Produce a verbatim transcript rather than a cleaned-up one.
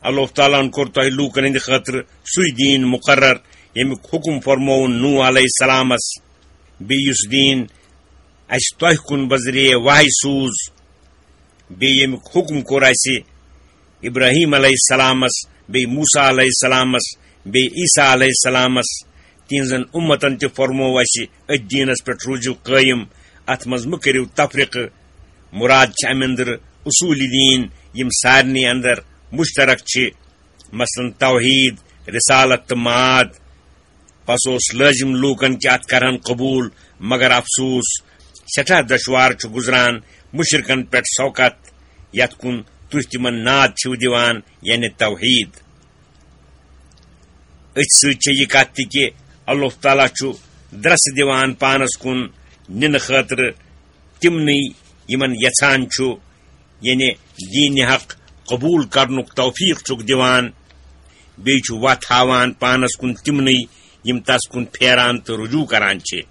اللہ تعالیٰ ہن کوٚر تۄہہِ لوٗکن ہٕنٛدِ خٲطرٕ سُے دیٖن مُقرر، ییٚمیُک حُکم فرمووُن نوح علیہ السلامس، بیٚیہِ یُس دیٖن اَسہِ تۄہہِ کُن بذریعہ وحی سوٗز، بیٚیہِ ییٚمیُک حُکم کوٚر اَسہِ ابراہیم علیہ السلامس، بیٚیہِ موسیٰ علیہ السلامس، بیٚیہِ عیسیٰ علیہ السلامس۔ تِہنٛزن اُمتن تہِ فرموو اَسہِ أتھۍ دیٖنس پٮ۪ٹھ روٗزِو قٲیِم، اتھ منٛز مہٕ کٔرِو تفرقہٕ۔ مُراد چھِ اَمہِ اندرٕ اصوٗلِ دیٖن، یِم سارنٕے اندر مُشترک چھِ، مثلاً توحیٖد، رسالت تہٕ معاد۔ پس اوس لٲزِم لوٗکن کہِ اتھ کرہن قبوٗل، مگر افسوس، سٮ۪ٹھاہ دۄشوار چھُ گُزران مُشرِکن پٮ۪ٹھ سوقت، یتھ کُن تُہۍ تِمن ناد چھِو دِوان، یعنی توحیٖد۔ أتھۍ سۭتۍ چھےٚ یہِ کتھ تہِ کہِ اللہ تعالیٰ چھُ درس دِوان پانس کُن نِنہٕ خٲطرٕ تِمنٕے یِمن یژھان چھُ، یعنی دیٖنِ حق قبوٗل کرنُک توفیٖق چھُکھ دِوان، بیٚیہِ چھُ وتھ ہاوان پانس کُن تِمنٕے یِم تس کُن پھیران تہٕ رجوع کران چھِ۔